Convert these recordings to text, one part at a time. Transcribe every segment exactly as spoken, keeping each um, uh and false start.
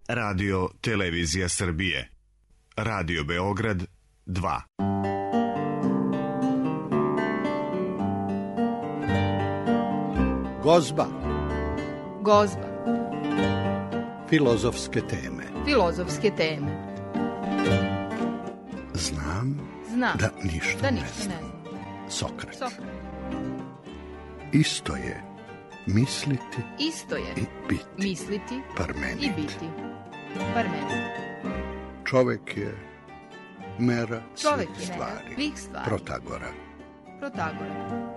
Radio Televizija Srbije. Radio Beograd dva. Gozba. Gozba. Filozofske teme. Filozofske teme. Znam, Znam da ništa, da ne, ništa znam. ne znam. Sokrat. Sokrat. Isto je misliti Isto je i biti. misliti Parmenid. i biti. Parmenid. Čovek je mera Čovek svih je mera stvari. svih stvari. Protagora. Protagora.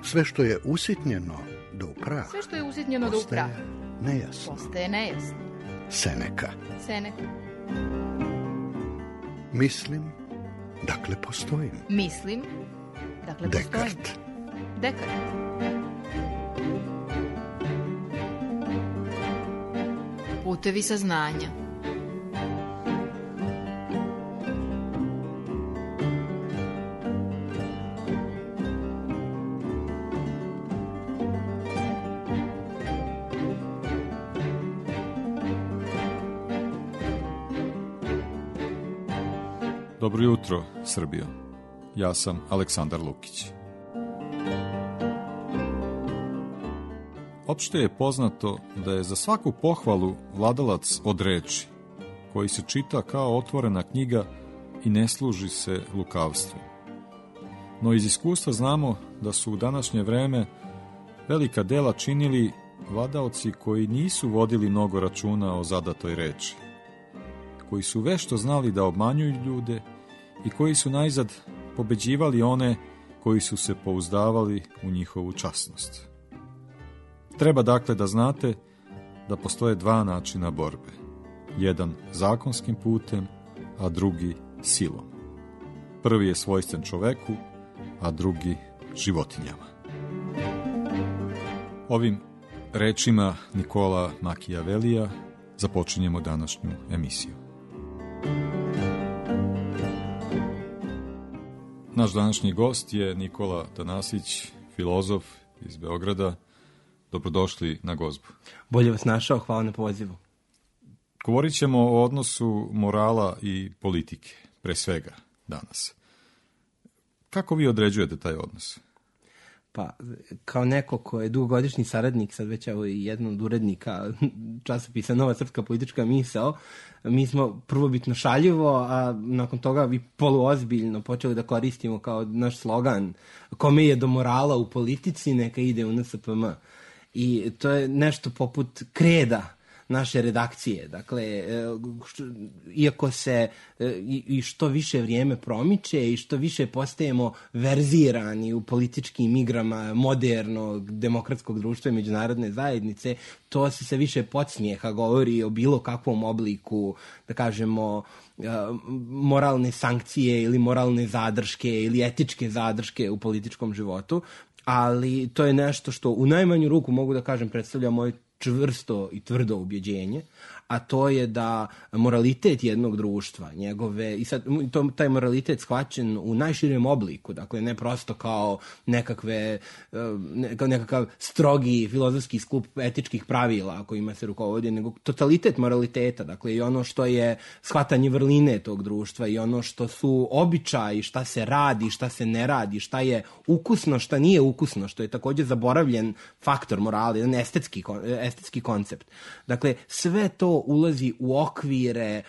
Sve što je usitnjeno do upraha Sve što je usitnjeno do upraha postaje nejasno. postaje nejasno. Seneka. Seneka. Mislim, dakle postojim. Mislim, dakle postojim. Dekart. Dekart. Putevi saznanja. Dobro jutro, Srbijo. Ja sam Aleksandar Lukić. Opšte je poznato da je za svaku pohvalu vladalac od reči, koji se čita kao otvorena knjiga i ne služi se lukavstvom. No iz iskustva znamo da su u današnje vreme velika dela činili vladaoci koji nisu vodili mnogo računa o zadatoj reči, koji su vešto znali da obmanjuju ljude i koji su najzad pobeđivali one koji su se pouzdavali u njihovu časnost. Treba dakle da znate da postoje dva načina borbe. Jedan zakonskim putem, a drugi silom. Prvi je svojstven čoveku, a drugi životinjama. Ovim rečima Nikola Makijavelija započinjemo današnju emisiju. Naš današnji gost je Nikola Tanasić, filozof iz Beograda. Dobrodošli na Gozbu. Bolje vas našao, hvala na pozivu. Govorit ćemo o odnosu morala i politike, pre svega danas. Kako vi određujete taj odnos? Pa, kao neko ko je dugogodišnji saradnik, sad već evo i jedan od urednika časopisa Nova srpska politička misao, mi smo prvobitno šaljivo, a nakon toga i poluozbiljno počeli da koristimo kao naš slogan kome je do morala u politici, neka ide u N S P M. I to je nešto poput kreda naše redakcije. Dakle, što, iako se i, i što više vrijeme promiče i što više postajemo verzirani u političkim igrama modernog demokratskog društva i međunarodne zajednice, to se sve više podsmijeha govori o bilo kakvom obliku, da kažemo, moralne sankcije ili moralne zadrške ili etičke zadrške u političkom životu, ali to je nešto što u najmanju ruku mogu da kažem predstavlja moje čvrsto i tvrdo ubjeđenje, a to je da moralitet jednog društva, njegove, i sad to, taj moralitet shvaćen u najširem obliku, dakle ne prosto kao nekakve, ne, kao nekakav strogi filozofski skup etičkih pravila kojima se rukovodi, nego totalitet moraliteta, dakle i ono što je shvatanje vrline tog društva i ono što su običaji, šta se radi, šta se ne radi, šta je ukusno, šta nije ukusno, što je također zaboravljen faktor morala, jedan estetski, estetski koncept. Dakle, sve to ulazi u okvire e,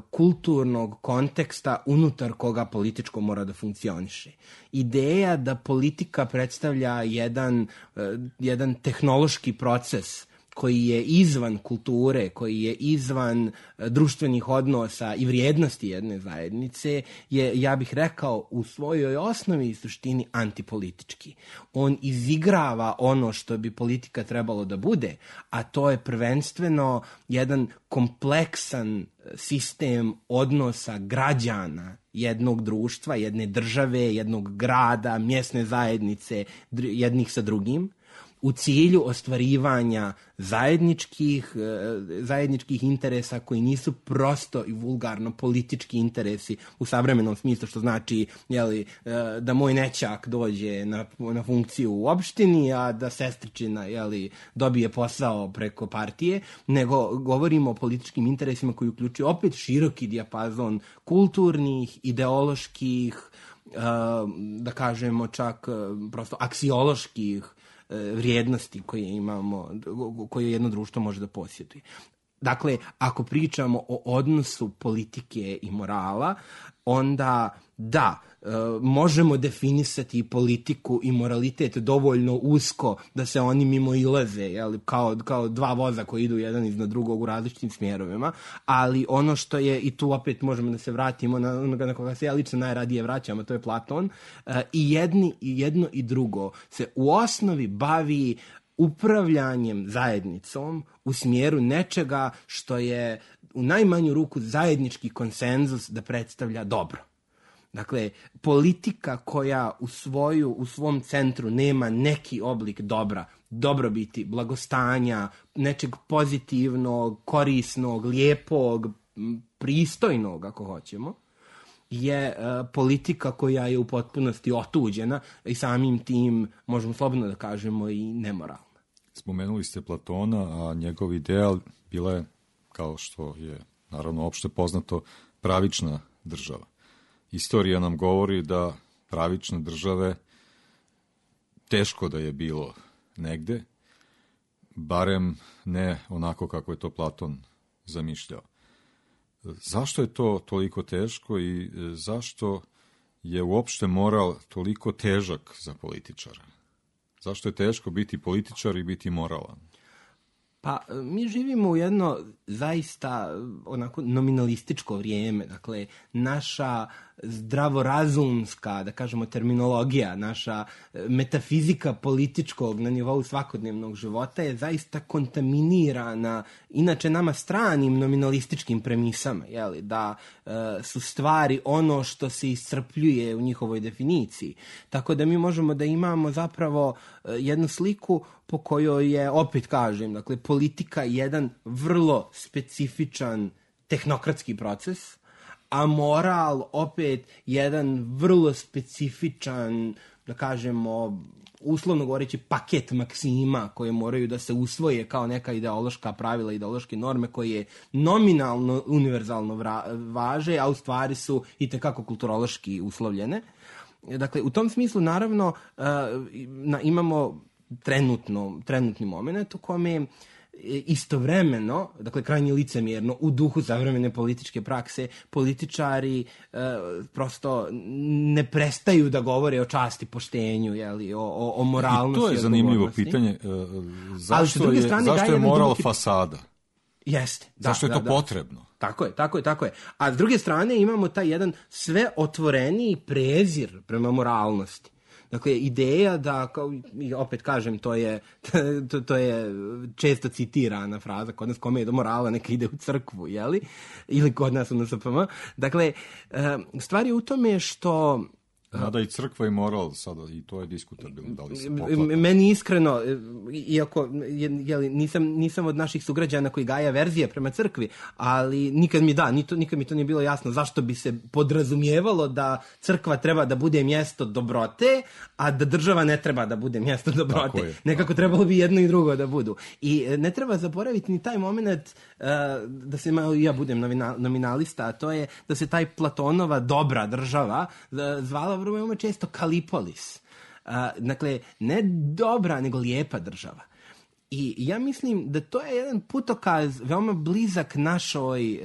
kulturnog konteksta unutar koga političko mora da funkcioniše. Ideja da politika predstavlja jedan, e, jedan tehnološki proces koji je izvan kulture, koji je izvan društvenih odnosa i vrijednosti jedne zajednice, je, ja bih rekao, u svojoj osnovi i suštini antipolitički. On izigrava ono što bi politika trebalo da bude, a to je prvenstveno jedan kompleksan sistem odnosa građana jednog društva, jedne države, jednog grada, mjesne zajednice, jednih sa drugim, u cilju ostvarivanja zajedničkih, zajedničkih interesa koji nisu prosto i vulgarno politički interesi u savremenom smislu, što znači jeli, da moj nećak dođe na, na funkciju u opštini, a da sestričina jeli, dobije posao preko partije, nego govorimo o političkim interesima koji uključuju opet široki dijapazon kulturnih, ideoloških, da kažemo čak prosto aksioloških vrijednosti koje imamo, koje jedno društvo može da posjeduje. Dakle, ako pričamo o odnosu politike i morala, onda da, e, možemo definisati politiku i moralitet dovoljno usko da se oni mimo ilaze, jel, kao, kao dva voza koji idu jedan iznad drugog u različitim smjerovima, ali ono što je, i tu opet možemo da se vratimo na onoga na koga se ja lično najradije vraćam, a to je Platon, e, i, jedni, i jedno i drugo se u osnovi bavi upravljanjem zajednicom u smjeru nečega što je u najmanju ruku zajednički konsenzus da predstavlja dobro. Dakle, politika koja u, svoju, u svom centru nema neki oblik dobra, dobrobiti, blagostanja, nečeg pozitivnog, korisnog, lijepog, pristojnog, ako hoćemo, je uh, politika koja je u potpunosti otuđena i samim tim, možemo slobodno da kažemo, i nemoralna. Spomenuli ste Platona, a njegov ideal bila je, kao što je naravno opšte poznato, pravična država. Istorija nam govori da pravične države teško da je bilo negde, barem ne onako kako je to Platon zamišljao. Zašto je to toliko teško i zašto je uopšte moral toliko težak za političara? Zašto je teško biti političar i biti moralan? Pa mi živimo u jedno zaista onako nominalističko vrijeme, dakle naša zdravorazumska, da kažemo, terminologija, naša metafizika političkog na nivou svakodnevnog života je zaista kontaminirana inače nama stranim nominalističkim premisama, jeli, da e, su stvari ono što se iscrpljuje u njihovoj definiciji. Tako da mi možemo da imamo zapravo e, jednu sliku po kojoj je, opet kažem, dakle, politika jedan vrlo specifičan tehnokratski proces, a moral opet jedan vrlo specifičan, da kažemo, uslovno govoreći, paket maksima koje moraju da se usvoje kao neka ideološka pravila, ideološke norme koje nominalno, univerzalno važe, a u stvari su i tekako kulturološki uslovljene. Dakle, u tom smislu, naravno, imamo trenutno, trenutni moment u kome istovremeno, dakle krajnje licemjerno, u duhu savremene političke prakse, političari e, prosto ne prestaju da govore o časti, poštenju, jeli, o, o, o moralnosti. I to je zanimljivo pitanje. E, zašto je, zašto je moral drugi... fasada? Jeste. Da, zašto je da, to da. potrebno? Tako je, tako je, tako je. A s druge strane imamo taj jedan sve otvoreniji prezir prema moralnosti. Dakle, ideja da, kao, opet kažem, to je, to, to je često citirana fraza, kod nas kome je do morala neka ide u crkvu, jeli? Ili kod nas u N S P M. Dakle, stvar je u tome što... Mada i crkva i moral sada, i to je diskutabilno, da li se poklapa. Meni iskreno, iako jeli, nisam, nisam od naših sugrađana koji gaja verzije prema crkvi, ali nikad mi da, nikad, nikad mi to nije bilo jasno zašto bi se podrazumijevalo da crkva treba da bude mjesto dobrote, a da država ne treba da bude mjesto dobrote. Je, Nekako trebalo bi jedno i drugo da budu. I ne treba zaboraviti ni taj moment, uh, da se malo ja budem nominalista, a to je da se taj Platonova dobra država zvala veoma često Kalipolis. Uh, dakle, ne dobra, nego lijepa država. I ja mislim da to je jedan putokaz veoma blizak našoj,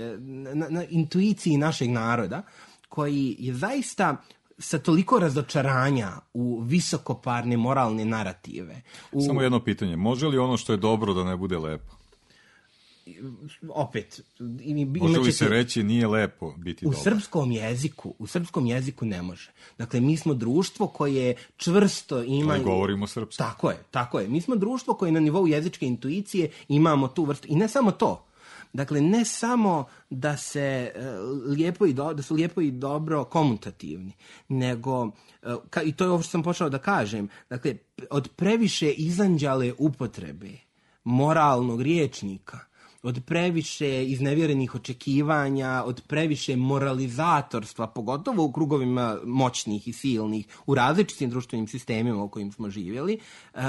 na, na intuiciji našeg naroda, koji je zaista sa toliko razočaranja u visokoparne moralne narative. U... Samo jedno pitanje, može li ono što je dobro da ne bude lepo? Opet, može li se reći nije lepo biti u dobar? Srpskom jeziku, u srpskom jeziku ne može. Dakle, mi smo društvo koje čvrsto ima... Ali govorimo srpski. Tako je, tako je. Mi smo društvo koje na nivou jezičke intuicije imamo tu vrstu. I ne samo to. Dakle, ne samo da se lijepo i do, da su lijepo i dobro komutativni, nego, ka, i to je ovo što sam počeo da kažem, dakle, od previše izanđale upotrebe moralnog rječnika, od previše iznevjerenih očekivanja, od previše moralizatorstva, pogotovo u krugovima moćnih i silnih, u različitim društvenim sistemima u kojim smo živjeli,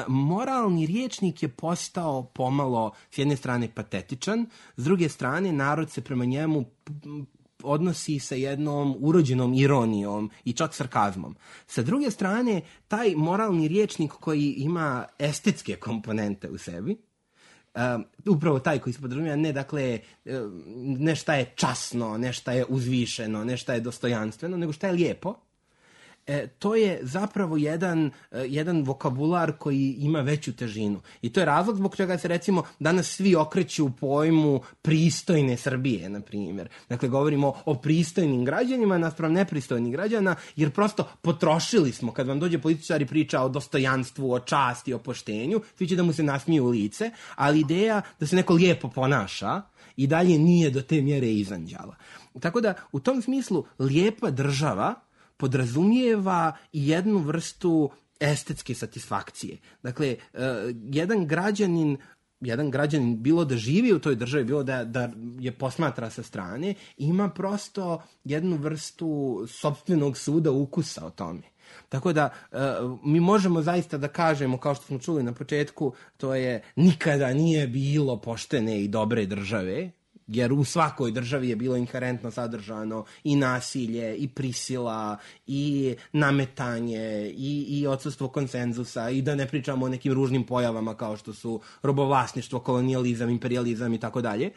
moralni rječnik je postao pomalo, s jedne strane, patetičan, s druge strane, narod se prema njemu odnosi sa jednom urođenom ironijom i čak sarkazmom. Sa druge strane, taj moralni rječnik koji ima estetske komponente u sebi, Uh, upravo taj koji se podrazumijeva, ne dakle uh, ne šta je časno, ne šta je uzvišeno, ne šta je dostojanstveno, nego šta je lijepo. E, to je zapravo jedan, uh, jedan vokabular koji ima veću težinu. I to je razlog zbog čega se recimo danas svi okreću u pojmu pristojne Srbije, na primjer. Dakle, govorimo o pristojnim građanima naspram nepristojnih građana, jer prosto potrošili smo, kad vam dođe političar i priča o dostojanstvu, o časti, o poštenju, svi će da mu se nasmiju u lice, ali ideja da se neko lijepo ponaša i dalje nije do te mjere izanđala. Tako da, u tom smislu, lijepa država podrazumijeva i jednu vrstu estetske satisfakcije. Dakle, uh, jedan građanin jedan građanin bilo da živi u toj državi, bilo da, da je posmatra sa strane, ima prosto jednu vrstu sopstvenog suda ukusa o tome. Tako da uh, mi možemo zaista da kažemo, kao što smo čuli na početku, to je nikada nije bilo poštene i dobre države, jer u svakoj državi je bilo inherentno sadržano i nasilje, i prisila, i nametanje, i, i odsustvo konsenzusa, i da ne pričamo o nekim ružnim pojavama kao što su robovlasništvo, kolonijalizam, imperijalizam i tako dalje.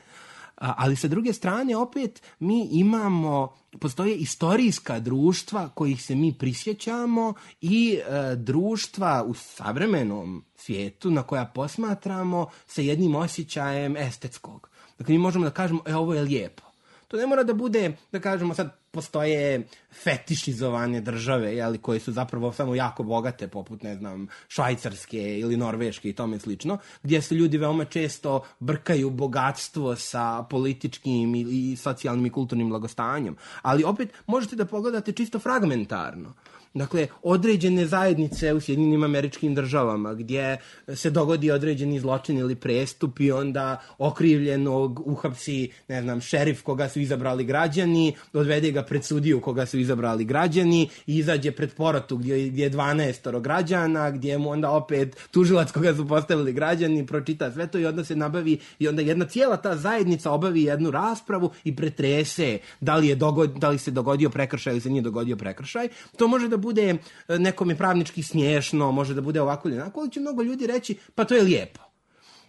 Ali sa druge strane, opet, mi imamo, postoje istorijska društva kojih se mi prisjećamo i e, društva u savremenom svijetu na koja posmatramo sa jednim osjećajem estetskog. Dakle, mi možemo da kažemo, e, ovo je lijepo. To ne mora da bude, da kažemo, sad postoje fetišizovane države, jeli, koje su zapravo samo jako bogate, poput, ne znam, Švajcarske ili Norveške i tome slično, gdje se ljudi veoma često brkaju bogatstvo sa političkim i, i socijalnim i kulturnim blagostanjem. Ali opet možete da pogledate čisto fragmentarno. Dakle, određene zajednice u Sjedinjenim Američkim Državama gdje se dogodi određeni zločin ili prestup i onda okrivljenog uhapsi, ne znam, šerif koga su izabrali građani, odvede ga pred sudiju koga su izabrali građani i izađe pred porotu gdje, gdje je dvanaestoro građana, gdje mu onda opet tužilac koga su postavili građani pročita sve to i onda se nabavi i onda jedna cijela ta zajednica obavi jednu raspravu i pretrese da li, je dogod, da li se dogodio prekršaj ili se nije dogodio prekršaj. To može da bude nekome pravnički smiješno, može da bude ovako ili onako, ali će mnogo ljudi reći, pa to je lijepo.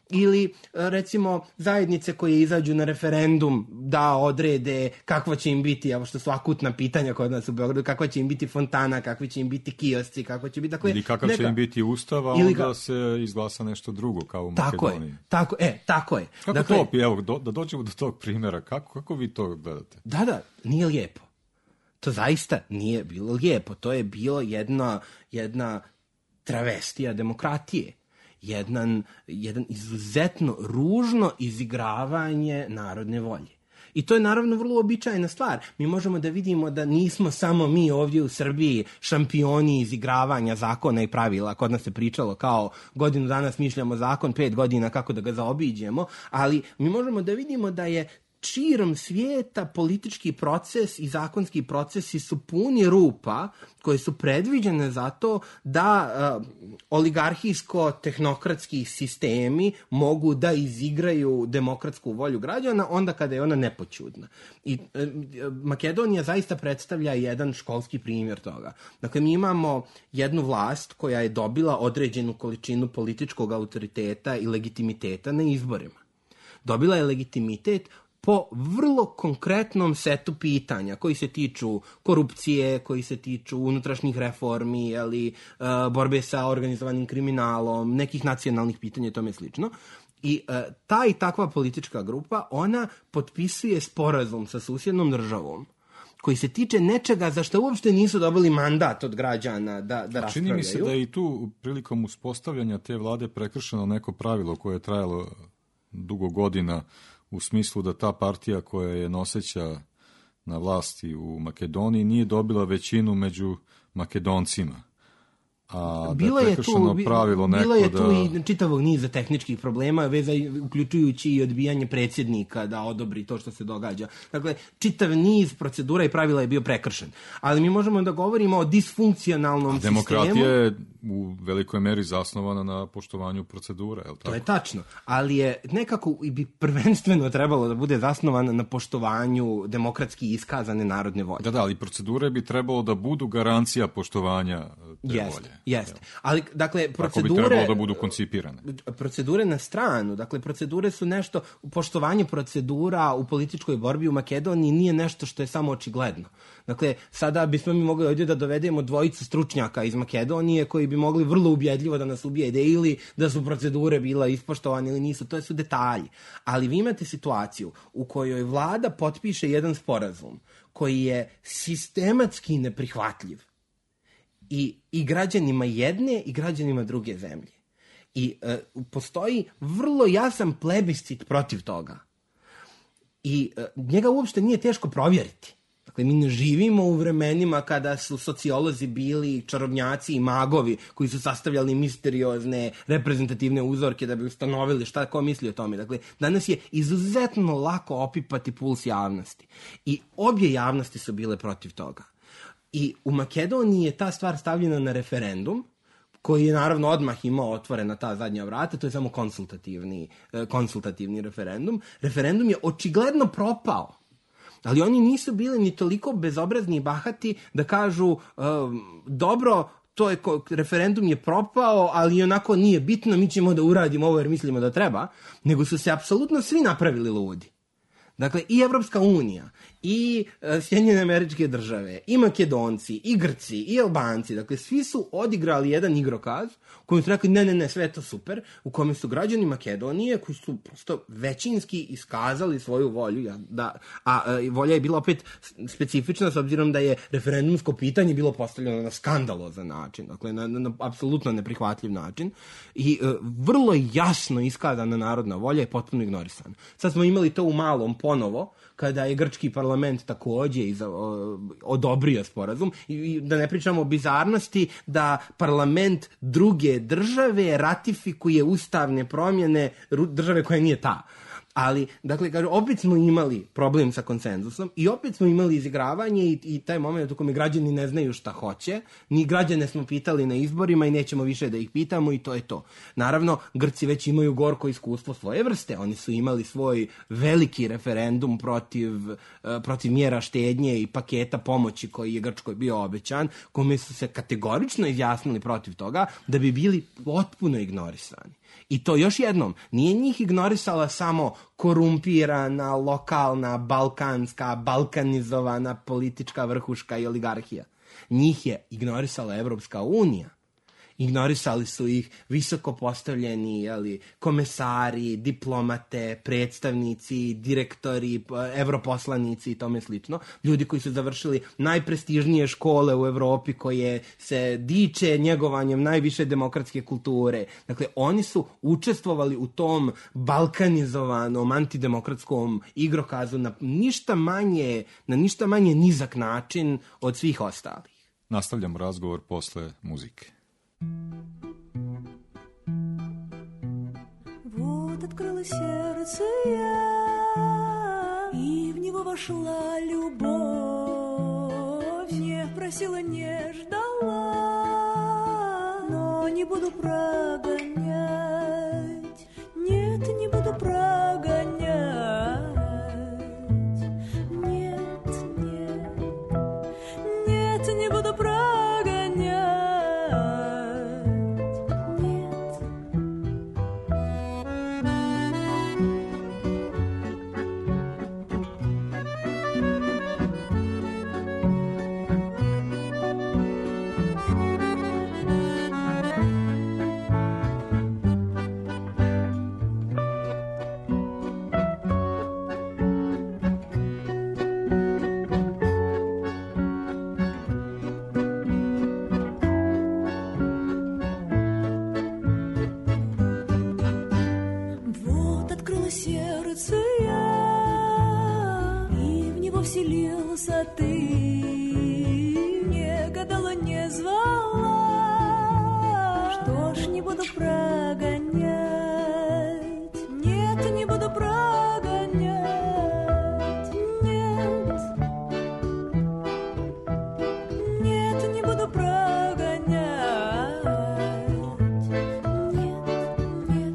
Ili, recimo, zajednice koje izađu na referendum da odrede kakva će im biti, evo što su akutna pitanja kod nas u Beogradu, kakva će im biti fontana, kakvi će im biti kiosci, kako će biti... Dakle, ili kakav neka... će im biti ustav, a onda ka... se izglasa nešto drugo, kao u tako Makedoniji. Je, tako, e, tako je. Kako dakle, to, evo, do, da dođemo do tog primjera, kako, kako vi to gledate? Da, da, nije lijepo. To zaista nije bilo lijepo. To je bilo jedna, jedna travestija demokratije. Jedan, jedan izuzetno ružno izigravanje narodne volje. I to je naravno vrlo običajna stvar. Mi možemo da vidimo da nismo samo mi ovdje u Srbiji šampioni izigravanja zakona i pravila. Kod nas se pričalo kao godinu dana smišljamo zakon, pet godina kako da ga zaobiđemo, ali mi možemo da vidimo da je širom svijeta politički proces i zakonski procesi su puni rupa koje su predviđene zato da uh, oligarhijsko-tehnokratski sistemi mogu da izigraju demokratsku volju građana onda kada je ona nepoćudna. I uh, Makedonija zaista predstavlja jedan školski primjer toga. Dakle, mi imamo jednu vlast koja je dobila određenu količinu političkog autoriteta i legitimiteta na izborima. Dobila je legitimitet po vrlo konkretnom setu pitanja koji se tiču korupcije, koji se tiču unutrašnjih reformi, ili uh, borbe sa organizovanim kriminalom, nekih nacionalnih pitanja i tome slično. I uh, ta i takva politička grupa, ona potpisuje sporazum sa susjednom državom koji se tiče nečega za što uopšte nisu dobili mandat od građana da, da raspravljaju. Čini mi se da je i tu prilikom uspostavljanja te vlade prekršeno neko pravilo koje je trajalo dugo godina u smislu da ta partija koja je noseća na vlasti u Makedoniji nije dobila većinu među Makedoncima. A bilo da je je prekršeno tu, pravilo neko bilo je tu da... i čitavog niza tehničkih problema, veza, uključujući i odbijanje predsjednika da odobri to što se događa. Dakle, čitav niz procedura i pravila je bio prekršen. Ali mi možemo da govorimo o disfunkcionalnom sistemu. Demokratija je u velikoj meri zasnovana na poštovanju procedura, je li tako? To je tačno, ali je nekako i bi prvenstveno trebalo da bude zasnovana na poštovanju demokratski iskazane narodne volje. Da, da, ali procedure bi trebalo da budu garancija poštovanja te Jeste, volje. jeste. Ali, dakle, procedure... Tako bi trebalo da budu koncipirane. Procedure na stranu, dakle, procedure su nešto, poštovanje procedura u političkoj borbi u Makedoniji nije nešto što je samo očigledno. Dakle, sada bismo mi mogli ovdje da dovedemo dvojicu stručnjaka iz Makedonije koji bi mogli vrlo ubjedljivo da nas ubijede ili da su procedure bila ispoštovane ili nisu, to su detalji. Ali vi imate situaciju u kojoj vlada potpiše jedan sporazum koji je sistematski neprihvatljiv i, i građanima jedne i građanima druge zemlje. I e, postoji vrlo jasan plebiscit protiv toga. I e, njega uopšte nije teško provjeriti. Dakle, mi ne živimo u vremenima kada su sociolozi bili čarobnjaci i magovi koji su sastavljali misteriozne reprezentativne uzorke da bi ustanovili šta ko misli o tome. Dakle, danas je izuzetno lako opipati puls javnosti. I obje javnosti su bile protiv toga. I u Makedoniji je ta stvar stavljena na referendum, koji je naravno odmah imao otvorena ta zadnja vrata, to je samo konsultativni, konsultativni referendum. Referendum je očigledno propao. Ali oni nisu bili ni toliko bezobrazni i bahati da kažu um, dobro, to je, referendum je propao, ali onako nije bitno, mi ćemo da uradimo ovo jer mislimo da treba, nego su se apsolutno svi napravili ludi. Dakle, i Evropska unija, i e, Sjedinjene Američke Države, i Makedonci, i Grci, i Albanci, dakle, svi su odigrali jedan igrokaz u kojem su rekli ne, ne, ne, sve je to super, u kome su građani Makedonije, koji su prosto većinski iskazali svoju volju, da, a, a volja je bila opet specifična s obzirom da je referendumsko pitanje bilo postavljeno na skandalozan način, dakle, na, na, na apsolutno neprihvatljiv način, i e, vrlo jasno iskazana narodna volja je potpuno ignorisana. Sad smo imali to u malom ponovo, kada je grčki parlament također iza, o, odobrio sporazum, i, i da ne pričamo o bizarnosti da parlament druge države ratifikuje ustavne promjene države koja nije ta. Ali, dakle, kaže, opet smo imali problem sa konsenzusom i opet smo imali izigravanje i, i taj moment u kome građani ne znaju šta hoće. Ni građane smo pitali na izborima i nećemo više da ih pitamo i to je to. Naravno, Grci već imaju gorko iskustvo svoje vrste. Oni su imali svoj veliki referendum protiv, uh, protiv mjera štednje i paketa pomoći koji je Grčkoj bio obećan, kome su se kategorično izjasnili protiv toga da bi bili potpuno ignorisani. I to još jednom, nije njih ignorisala samo korumpirana, lokalna, balkanska, balkanizovana politička vrhuška i oligarhija. Njih je ignorisala Evropska unija. Ignorisali su ih visoko postavljeni jeli, komesari, diplomate, predstavnici, direktori, evroposlanici i tome slično. Ljudi koji su završili najprestižnije škole u Evropi koje se diče njegovanjem najviše demokratske kulture. Dakle, oni su učestvovali u tom balkanizovanom antidemokratskom igrokazu na ništa manje, na ništa manje nizak način od svih ostalih. Nastavljamo razgovor posle muzike. Вот открыла сердце я, и в него вошла любовь. Не просила, не ждала, но не буду прогонять. Нет, не буду прогонять. Нет, нет, нет, не буду прогонять. веселился ты, не гадала, не звала. Что ж, не буду прогонять, нет, не буду прогонять, нет, нет, не буду прогонять, нет, нет.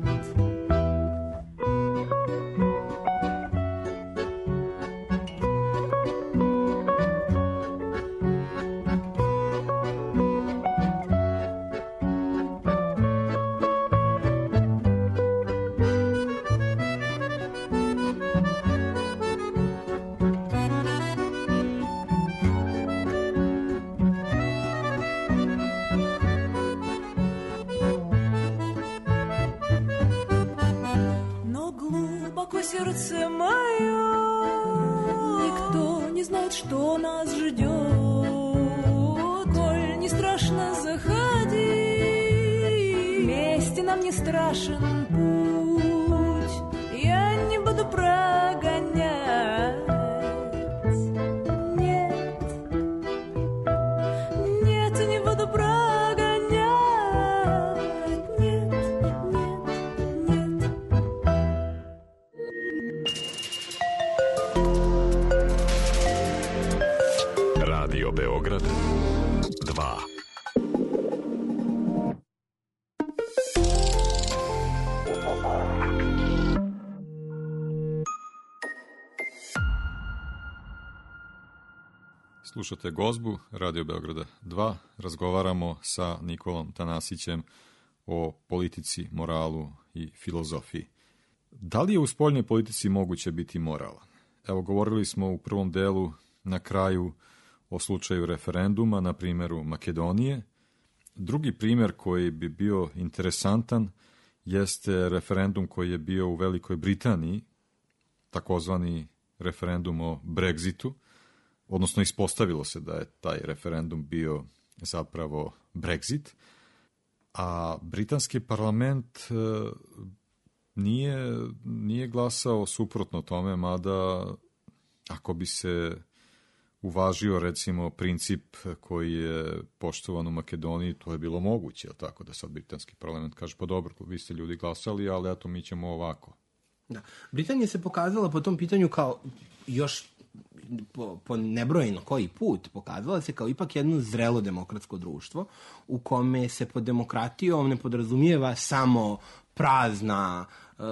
Но глубоко сердце мое, никто не знает, что нас ждет. Коль не страшно, заходи, вместе нам не страшен путь. Я не буду прогонять, нет, нет, не буду прогонять, нет, нет, нет. Radio Beograd dva. Slušate Gozbu, Radio Beograda dva. Razgovaramo sa Nikolom Tanasićem o politici, moralu i filozofiji. Da li je u spoljnoj politici moguće biti moralan? Evo, govorili smo u prvom delu na kraju o slučaju referenduma, na primjeru Makedonije. Drugi primjer koji bi bio interesantan jeste referendum koji je bio u Velikoj Britaniji, takozvani referendum o Brexitu, odnosno ispostavilo se da je taj referendum bio zapravo Brexit, a britanski parlament e, nije, nije glasao suprotno tome, mada ako bi se uvažio recimo princip koji je poštovan u Makedoniji, to je bilo moguće, tako da sad britanski parlament kaže, pa dobro, vi ste ljudi glasali, ali eto mi ćemo ovako. Da. Britanija se pokazala po tom pitanju kao još po, po nebrojeno koji put pokazala se kao ipak jedno zrelo demokratsko društvo u kome se pod demokratijom ne podrazumijeva samo prazna uh,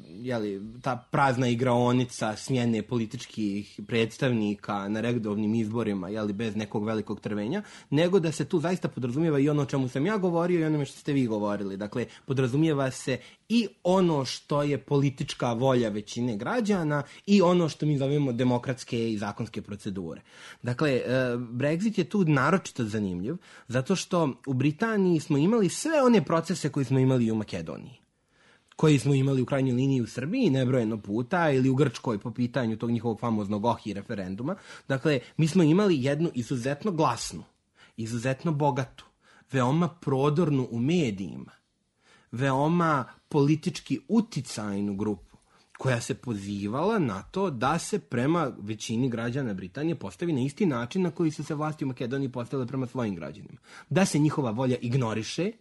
jeli, ta prazna igraonica smjene političkih predstavnika na redovnim izborima, jeli, bez nekog velikog trvenja, nego da se tu zaista podrazumijeva i ono o čemu sam ja govorio i onome što ste vi govorili. Dakle, podrazumijeva se i ono što je politička volja većine građana i ono što mi zovemo demokratske i zakonske procedure. Dakle, Brexit je tu naročito zanimljiv, zato što u Britaniji smo imali sve one procese koje smo imali u Makedoniji, koji smo imali u krajnjoj liniji u Srbiji nebrojeno puta ili u Grčkoj po pitanju tog njihovog famoznog Ohi referenduma. Dakle, mi smo imali jednu izuzetno glasnu, izuzetno bogatu, veoma prodornu u medijima, veoma politički uticajnu grupu koja se pozivala na to da se prema većini građana Britanije postavi na isti način na koji su se vlasti u Makedoniji postavile prema svojim građanima. Da se njihova volja ignoriše,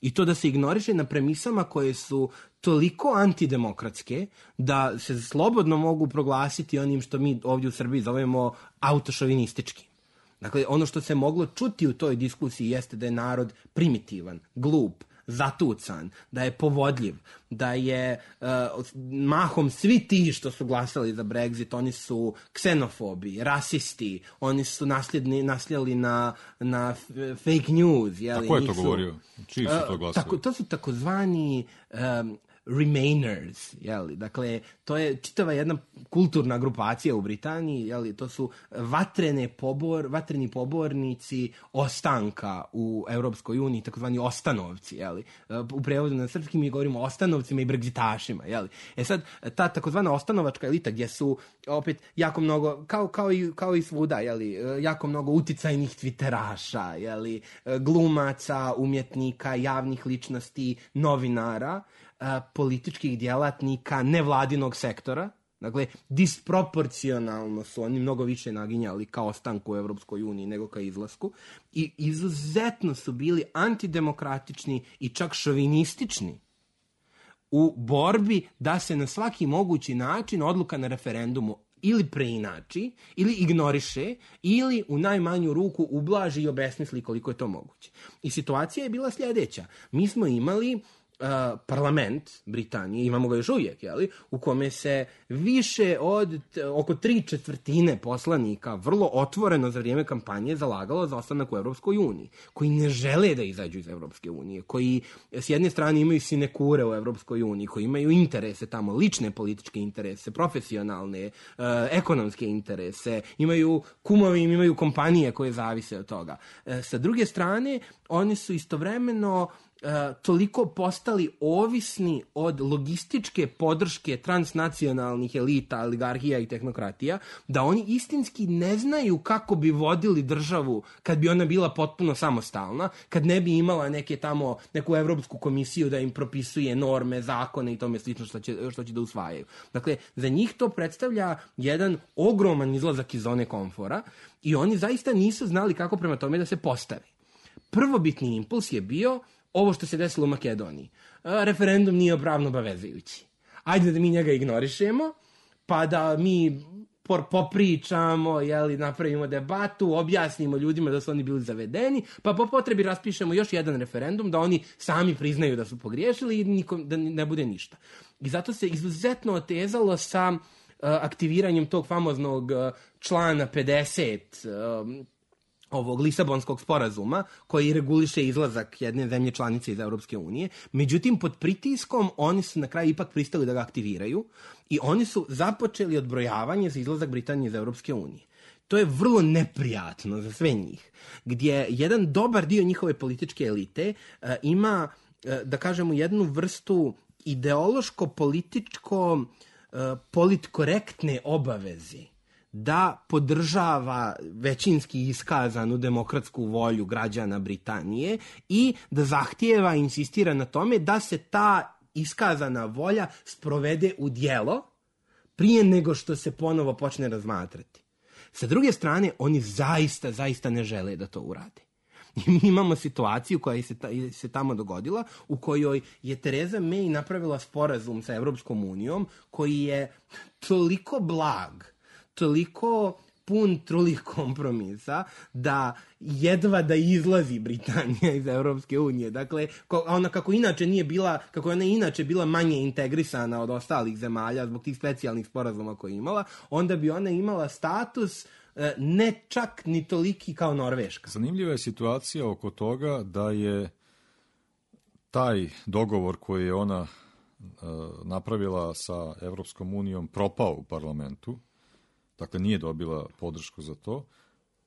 i to da se ignoriše na premisama koje su toliko antidemokratske da se slobodno mogu proglasiti onim što mi ovdje u Srbiji zovemo autošovinističkim. Dakle, ono što se moglo čuti u toj diskusiji jeste da je narod primitivan, glup, zatucan, da je povodljiv, da je uh, mahom svi ti što su glasali za Brexit, oni su ksenofobi, rasisti, oni su nasljedni, nasljeli na, na fake news. Jeli, a ko je to nisu, govorio? Čiji su to glasali? Uh, tako, to su takozvani um, Remainers, jeli, dakle, to je čitava jedna kulturna grupacija u Britaniji, jeli, to su vatrene pobor, vatreni pobornici ostanka u Europskoj uniji, takozvani ostanovci, jeli. U prevodu na srpski mi govorimo o ostanovcima i bregzitašima, jeli. E sad, ta takozvana ostanovačka elita gdje su opet jako mnogo, kao, kao, i, kao i svuda, jeli, jako mnogo uticajnih twitteraša, jeli, glumaca, umjetnika, javnih ličnosti, novinara, političkih djelatnika nevladinog sektora, Dakle, disproporcionalno su oni mnogo više naginjali ka ostanku u Evropskoj uniji nego ka izlasku i izuzetno su bili antidemokratični i čak šovinistični u borbi da se na svaki mogući način odluka na referendumu ili preinači, ili ignoriše, ili u najmanju ruku ublaži i obesmisli koliko je to moguće. I situacija je bila sljedeća. Mi smo imali uh, parlament Britanije, imamo ga još uvijek, jeli, u kome se više od t, oko tri četvrtine poslanika vrlo otvoreno za vrijeme kampanje zalagalo za ostanak u Evropskoj uniji, koji ne žele da izađu iz Evropske unije, koji s jedne strane imaju sinekure u Evropskoj uniji, koji imaju interese tamo, lične političke interese, profesionalne, uh, ekonomske interese, imaju kumovi, imaju kompanije koje zavise od toga. Uh, sa druge strane, oni su istovremeno Uh, toliko postali ovisni od logističke podrške transnacionalnih elita, oligarhija i tehnokratija, da oni istinski ne znaju kako bi vodili državu kad bi ona bila potpuno samostalna, kad ne bi imala neke tamo, neku Evropsku komisiju da im propisuje norme, zakone i tome slično što će, što će da usvajaju. Dakle, za njih to predstavlja jedan ogroman izlazak iz zone komfora i oni zaista nisu znali kako prema tome da se postave. Prvobitni impuls je bio ovo što se desilo u Makedoniji. A, referendum nije pravno obavezujući. Ajde da mi njega ignorišemo, pa da mi por, popričamo, jeli, napravimo debatu, objasnimo ljudima da su oni bili zavedeni, pa po potrebi raspišemo još jedan referendum da oni sami priznaju da su pogriješili i nikom, da ne bude ništa. I zato se izuzetno otezalo sa uh, aktiviranjem tog famoznog uh, člana pedeset uh, ovog Lisabonskog sporazuma koji reguliše izlazak jedne zemlje članice iz Europske unije. Međutim, pod pritiskom oni su na kraju ipak pristali da ga aktiviraju i oni su započeli odbrojavanje za izlazak Britanije iz Europske unije. To je vrlo neprijatno za sve njih, gdje jedan dobar dio njihove političke elite uh, ima, uh, da kažemo, jednu vrstu ideološko-političko uh, politkorektne obaveze da podržava većinski iskazanu demokratsku volju građana Britanije i da zahtijeva i insistira na tome da se ta iskazana volja sprovede u djelo prije nego što se ponovo počne razmatrati. Sa druge strane, oni zaista, zaista ne žele da to urade. I mi imamo situaciju koja se, ta, se tamo dogodila, u kojoj je Theresa May napravila sporazum sa Evropskom unijom koji je toliko blag, toliko pun trulih kompromisa da jedva da izlazi Britanija iz Europske unije. Dakle, ona kako inače nije bila, kako ona inače bila manje integrisana od ostalih zemalja zbog tih specijalnih sporazuma koje je imala, onda bi ona imala status ne čak ni toliki kao Norveška. Zanimljiva je situacija oko toga da je taj dogovor koji je ona uh, napravila sa Evropskom unijom propao u parlamentu. Dakle, nije dobila podršku za to,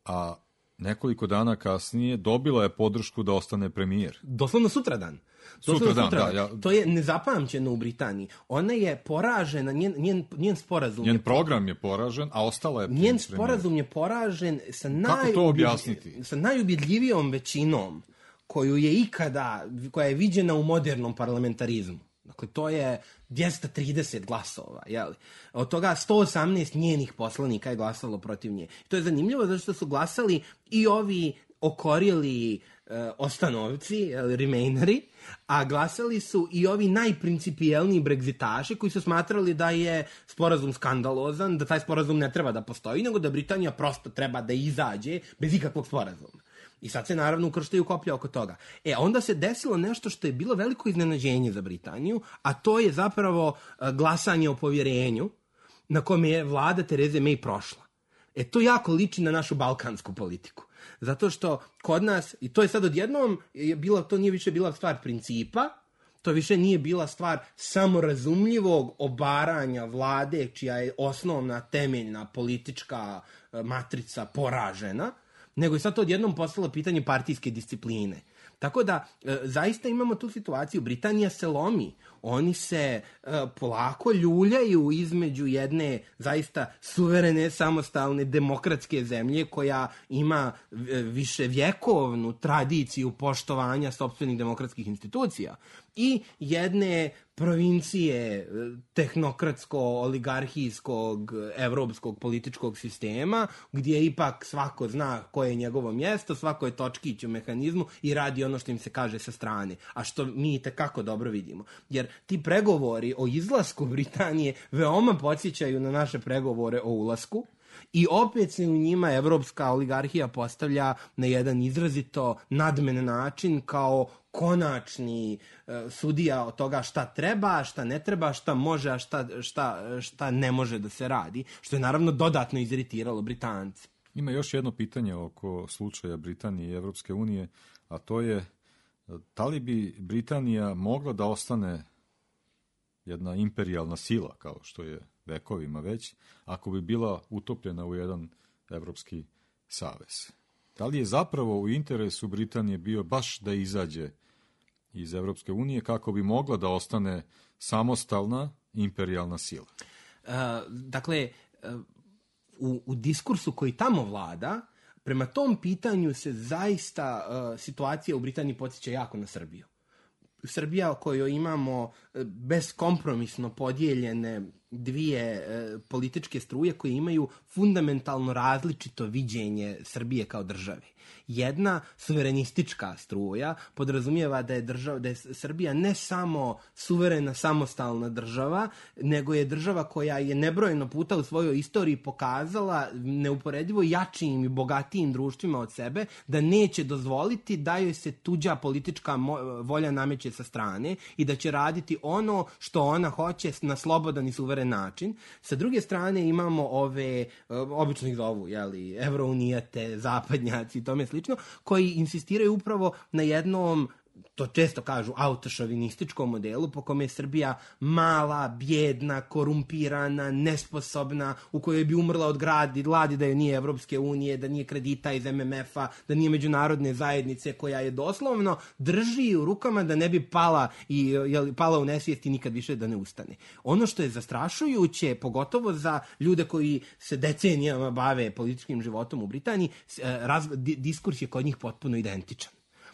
a nekoliko dana kasnije dobila je podršku da ostane premijer. Doslovno sutradan. Doslovno Sutradan, sutradan. da. Ja... To je nezapamćeno u Britaniji. Ona je poražena, njen, njen, njen sporazum... Njen je program je poražen, a ostala je premijer. Njen sporazum je poražen sa, Kako to objasniti? sa najubjedljivijom većinom koju je ikada, koja je viđena u modernom parlamentarizmu. Dakle, to je dvjesto trideset glasova, jeli? Od toga sto osamnaest njenih poslanika je glasalo protiv nje. To je zanimljivo zato što su glasali i ovi okorjeli e, ostanovci, jeli, remaineri, a glasali su i ovi najprincipijelniji bregzitaši koji su smatrali da je sporazum skandalozan, da taj sporazum ne treba da postoji, nego da Britanija prosto treba da izađe bez ikakvog sporazuma. I sad se naravno ukrštaju koplja oko toga. E, onda se desilo nešto što je bilo veliko iznenađenje za Britaniju, a to je zapravo glasanje o povjerenju na kome je vlada Therese May prošla. E, to jako liči na našu balkansku politiku. Zato što kod nas, i to je sad odjednom, je bilo, to nije više bila stvar principa, to više nije bila stvar samorazumljivog obaranja vlade, čija je osnovna temeljna politička matrica poražena, nego je sad to odjednom postalo pitanje partijske discipline. Tako da, e, zaista imamo tu situaciju, Britanija se lomi oni se uh, polako ljuljaju između jedne zaista suverene, samostalne, demokratske zemlje koja ima više vjekovnu tradiciju poštovanja sopstvenih demokratskih institucija i jedne provincije tehnokratsko-oligarhijskog evropskog političkog sistema, gdje ipak svako zna koje je njegovo mjesto, svako je točkić u mehanizmu i radi ono što im se kaže sa strane, a što mi itekako dobro vidimo. Jer ti pregovori o izlasku Britanije veoma podsjećaju na naše pregovore o ulasku, i opet se u njima evropska oligarhija postavlja na jedan izrazito nadmen način kao konačni e, sudija od toga šta treba, šta ne treba, šta može, a šta, šta, šta ne može da se radi, što je naravno dodatno iziritiralo Britance. Ima još jedno pitanje oko slučaja Britanije i Evropske unije, a to je da li bi Britanija mogla da ostane jedna imperijalna sila, kao što je vekovima već, ako bi bila utopljena u jedan evropski savez. Da li je zapravo u interesu Britanije bio baš da izađe iz Evropske unije kako bi mogla da ostane samostalna imperijalna sila? Uh, dakle, uh, u, u diskursu koji tamo vlada, prema tom pitanju se zaista uh, situacija u Britaniji podsjeća jako na Srbiju. Srbija o kojoj imamo beskompromisno podijeljene dvije e, političke struje koje imaju fundamentalno različito viđenje Srbije kao države. Jedna suverenistička struja podrazumijeva da je, država, da je Srbija ne samo suverena samostalna država, nego je država koja je nebrojeno puta u svojoj istoriji pokazala neuporedivo jačijim i bogatijim društvima od sebe da neće dozvoliti da joj se tuđa politička volja nameće sa strane i da će raditi ono što ona hoće na slobodan i suveren način. Sa druge strane imamo ove, obično ih zovu, jeli, evrounijate, zapadnjaci i tome slično, koji insistiraju upravo na jednom, to često kažu, autošovinističkom modelu po kome je Srbija mala, bjedna, korumpirana, nesposobna, u kojoj bi umrla od gradi, gladi da je nije Evropske unije, da nije kredita iz em em ef-a, da nije međunarodne zajednice koja je doslovno drži u rukama da ne bi pala i jel, pala u nesvijest i nikad više da ne ustane. Ono što je zastrašujuće, pogotovo za ljude koji se decenijama bave političkim životom u Britaniji, raz, diskurs je kod njih potpuno identičan.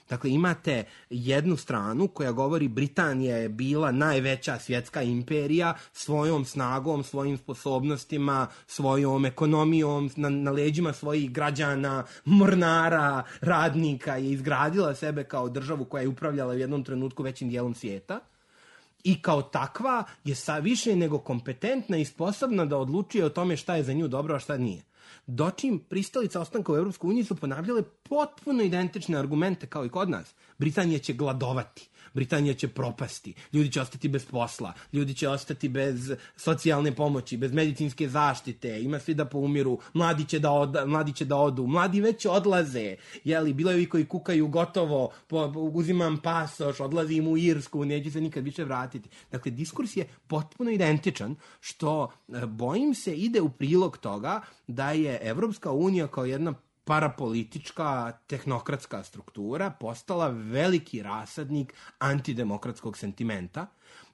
Dakle, imate jednu stranu koja govori Britanija je bila najveća svjetska imperija svojom snagom, svojim sposobnostima, svojom ekonomijom, na, na leđima svojih građana, mornara, radnika je izgradila sebe kao državu koja je upravljala u jednom trenutku većim dijelom svijeta. I kao takva je sa više nego kompetentna i sposobna da odlučuje o tome šta je za nju dobro, a šta nije. Dočim pristalica ostanka u Evropskoj uniji su ponavljale potpuno identične argumente kao i kod nas. Britanija će gladovati, Britanija će propasti, ljudi će ostati bez posla, ljudi će ostati bez socijalne pomoći, bez medicinske zaštite, ima svi da poumiru, mladi će da, od, mladi će da odu, mladi već odlaze, jeli, bilo je i koji kukaju gotovo, po, uzimam pasoš, odlazim u Irsku, neće se nikad više vratiti. Dakle, diskurs je potpuno identičan, što, bojim se, ide u prilog toga da je Evropska unija kao jedna parapolitička, tehnokratska struktura postala veliki rasadnik antidemokratskog sentimenta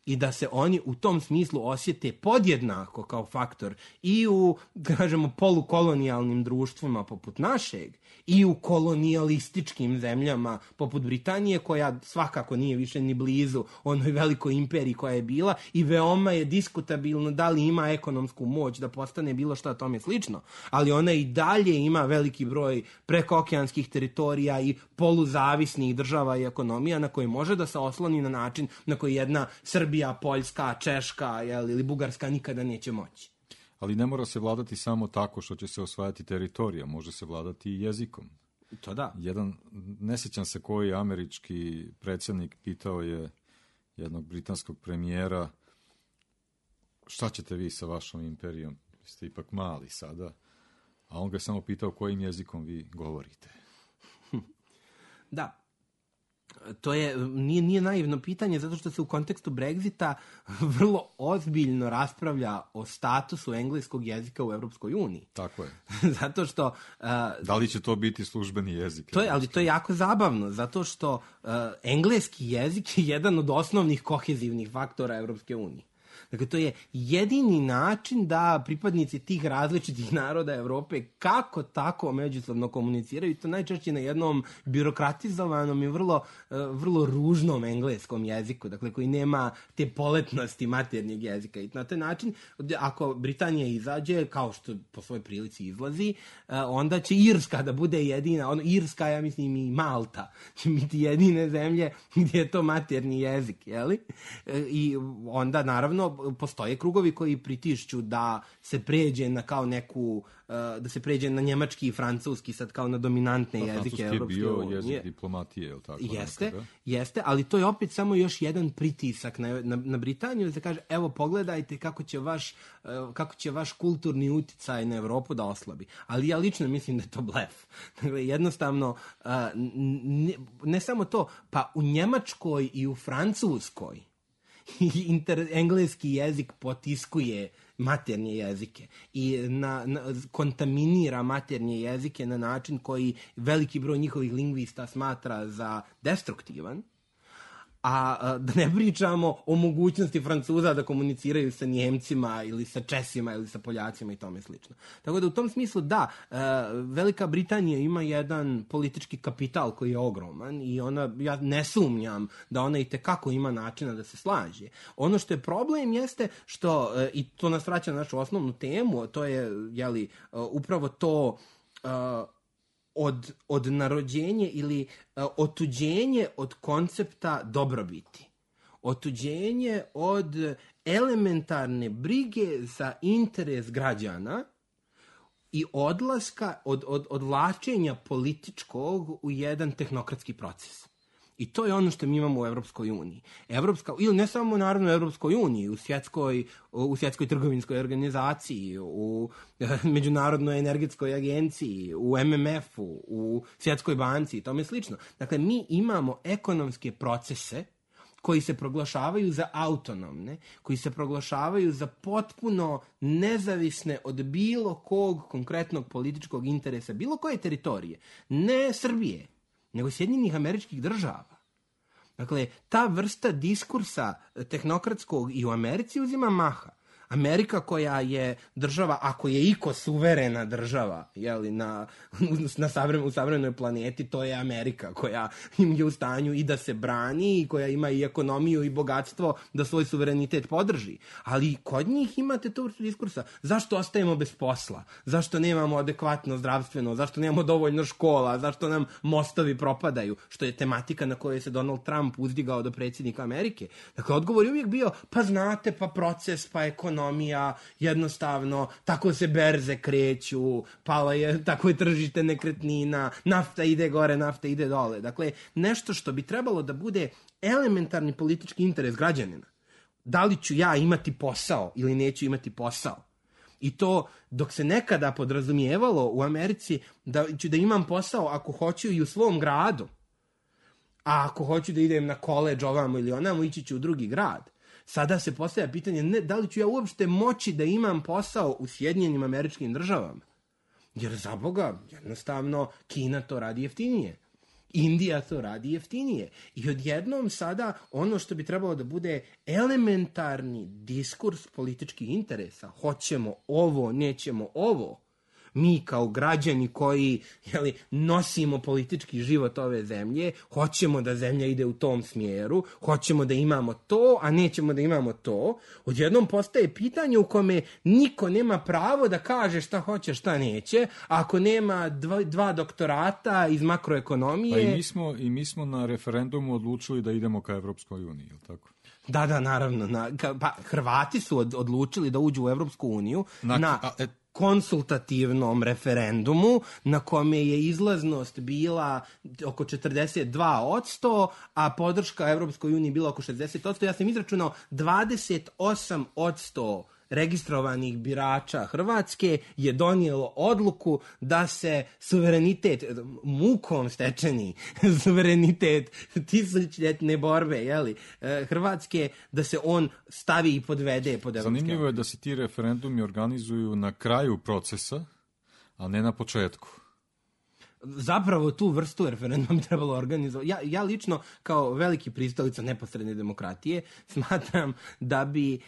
i da se oni u tom smislu osjete podjednako kao faktor i u, kažemo, polukolonijalnim društvima poput našeg i u kolonijalističkim zemljama poput Britanije, koja svakako nije više ni blizu onoj velikoj imperiji koja je bila i veoma je diskutabilno da li ima ekonomsku moć da postane bilo šta tome slično, ali ona i dalje ima veliki broj prekookeanskih teritorija i poluzavisnih država i ekonomija na koje može da se osloni na način na koji jedna Srbija, Poljska, Češka, jel, ili Bugarska nikada neće moći. Ali ne mora se vladati samo tako što će se osvajati teritorija, može se vladati i jezikom. To da. Jedan, ne sjećam se koji američki predsjednik pitao je jednog britanskog premijera šta ćete vi sa vašom imperijom, vi ste ipak mali sada, a on ga je samo pitao kojim jezikom vi govorite. Da. to je, nije, nije naivno pitanje, zato što se u kontekstu Brexita vrlo ozbiljno raspravlja o statusu engleskog jezika u Evropskoj uniji. Tako je. Zato što... Uh, Da li će to biti službeni jezik? To je, ali to je jako zabavno, zato što uh, engleski jezik je jedan od osnovnih kohezivnih faktora Evropske unije. Dakle, to je jedini način da pripadnici tih različitih naroda Evrope kako tako međusobno komuniciraju, i to najčešće na jednom birokratizovanom i vrlo, vrlo ružnom engleskom jeziku, dakle, koji nema te poletnosti maternjeg jezika. I na taj način, ako Britanija izađe, kao što po svojoj prilici izlazi, onda će Irska da bude jedina, ono, Irska, ja mislim, i Malta će biti jedine zemlje gdje je to materni jezik, jeli? I onda, naravno, postoje krugovi koji pritišću da se pređe na kao neku, da se pređe na njemački i francuski sad kao na dominantne pa, jezike Evropske unije. Francuski je bio jezik diplomatije, je li tako? Jeste, nekada? jeste, ali to je opet samo još jedan pritisak na, na, na Britaniju, da se kaže, evo pogledajte kako će vaš, kako će vaš kulturni uticaj na Evropu da oslabi. Ali ja lično mislim da je to blef. Dakle, jednostavno, ne, ne samo to, pa u Njemačkoj i u Francuskoj Inter, engleski jezik potiskuje maternje jezike i na, na, kontaminira maternje jezike na način koji veliki broj njihovih lingvista smatra za destruktivan, a, a da ne pričamo o mogućnosti Francuza da komuniciraju sa Njemcima ili sa Česima ili sa Poljacima i tome slično. Tako da u tom smislu da, e, Velika Britanija ima jedan politički kapital koji je ogroman i ona, ja ne sumnjam da ona i tekako ima načina da se slaže. Ono što je problem jeste što, e, i to nas vraća na našu osnovnu temu, to je, jeli, e, upravo to e, Od, od narođenje ili uh, otuđenje od koncepta dobrobiti. Otuđenje od elementarne brige za interes građana i odlaska od, od, odvlačenja političkog u jedan tehnokratski proces. I to je ono što mi imamo u Evropskoj uniji. Evropska, ili ne samo naravno u Evropskoj uniji, u svjetskoj, u svjetskoj trgovinskoj organizaciji, u Međunarodnoj energetskoj agenciji, u M M F-u, u Svjetskoj banci i tome slično. Dakle, mi imamo ekonomske procese koji se proglašavaju za autonomne, koji se proglašavaju za potpuno nezavisne od bilo kog konkretnog političkog interesa, bilo koje teritorije, ne Srbije, nego Sjedinjenih Američkih Država. Dakle, ta vrsta diskursa tehnokratskog i u Americi uzima maha. Amerika koja je država, ako je iko suverena država, jeli, na, na savre, u savremenoj planeti, to je Amerika koja im je u stanju i da se brani i koja ima i ekonomiju i bogatstvo da svoj suverenitet podrži. Ali kod njih imate tu vrstu diskursa. Zašto ostajemo bez posla? Zašto nemamo adekvatno zdravstveno? Zašto nemamo dovoljno škola? Zašto nam mostovi propadaju? Što je tematika na kojoj se Donald Trump uzdigao do predsjednika Amerike. Dakle, odgovor je uvijek bio, pa znate, pa proces, pa ekonomija, ekonomija, jednostavno, tako se berze kreću, pala je, tako je tržište nekretnina, nafta ide gore, nafta ide dole. Dakle, nešto što bi trebalo da bude elementarni politički interes građanina. Da li ću ja imati posao ili neću imati posao? I to dok se nekada podrazumijevalo u Americi da ću da imam posao ako hoću i u svom gradu, a ako hoću da idem na koledž ovamo ili onamo, ići ću u drugi grad. Sada se postavlja pitanje, ne, da li ću ja uopšte moći da imam posao u Sjedinjenim Američkim Državama? Jer za Boga, jednostavno, Kina to radi jeftinije. Indija to radi jeftinije. I odjednom sada ono što bi trebalo da bude elementarni diskurs političkih interesa, hoćemo ovo, nećemo ovo, mi kao građani koji, jeli, nosimo politički život ove zemlje, hoćemo da zemlja ide u tom smjeru, hoćemo da imamo to, a nećemo da imamo to, odjednom postaje pitanje u kome niko nema pravo da kaže šta hoće, šta neće, ako nema dva, dva doktorata iz makroekonomije. Pa i mi smo, i mi smo na referendumu odlučili da idemo ka Evropskoj uniji, je li tako? Da, da, naravno. Na, ka, pa, Hrvati su od, odlučili da uđu u Evropsku uniju na... na a, et, konsultativnom referendumu na kome je izlaznost bila oko četrdeset dva posto, a podrška Evropskoj uniji bila oko šezdeset posto. Ja sam izračunao dvadeset osam posto registrovanih birača Hrvatske je donijelo odluku da se suverenitet, mukom stečeni suverenitet tisućljetne borbe, jeli, Hrvatske, da se on stavi i podvede pod evropske. Zanimljivo je da se ti referendumi organizuju na kraju procesa, a ne na početku. Zapravo tu vrstu referenduma bi trebalo organizovati. Ja, ja lično, kao veliki pristalica neposredne demokratije, smatram da bi e,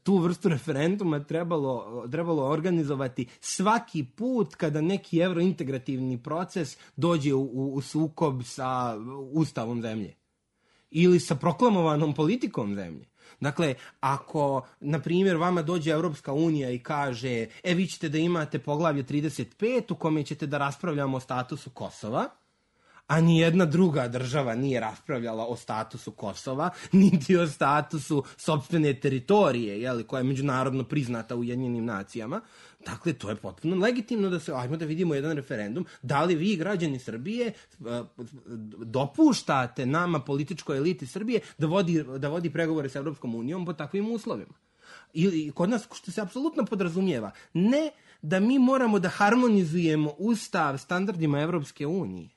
tu vrstu referenduma trebalo, trebalo organizovati svaki put kada neki evrointegrativni proces dođe u, u, u sukob sa ustavom zemlje ili sa proklamovanom politikom zemlje. Dakle, ako, na primjer, vama dođe Evropska unija i kaže, e, vi ćete da imate poglavlje trideset pet u kome ćete da raspravljamo o statusu Kosova, a nijedna druga država nije raspravljala o statusu Kosova, niti o statusu sopstvene teritorije, jeli, koja je međunarodno priznata u Ujedinjenim nacijama. Dakle, to je potpuno legitimno da se, ajmo da vidimo jedan referendum, da li vi, građani Srbije, dopuštate nama, političkoj eliti Srbije, da vodi, da vodi pregovore sa Evropskom unijom po takvim uslovima. I kod nas, što se apsolutno podrazumijeva, ne da mi moramo da harmonizujemo ustav standardima Evropske unije,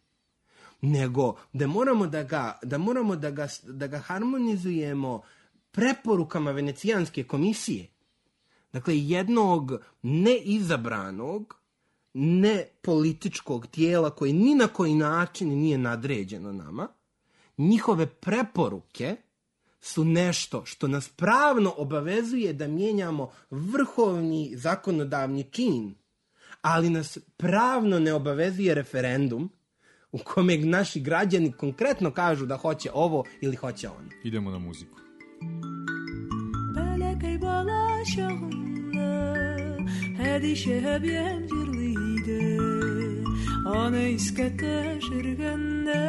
nego da moramo da ga, da moramo da ga, da ga harmonizujemo preporukama Venecijanske komisije. Dakle, jednog neizabranog, ne političkog tijela koje ni na koji način nije nadređeno nama, njihove preporuke su nešto što nas pravno obavezuje da mijenjamo vrhovni zakonodavni čin, ali nas pravno ne obavezuje referendum u kome naši građani konkretno kažu da hoće ovo ili hoće ono. Idemo na muziku. Belekej balaşağında Hedi şeheb yemcirliydi Ana iskete şirgende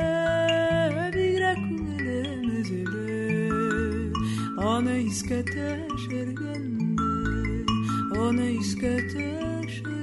Bigrek ülemezeli Ana iskete şirgende Ana iskete şirgende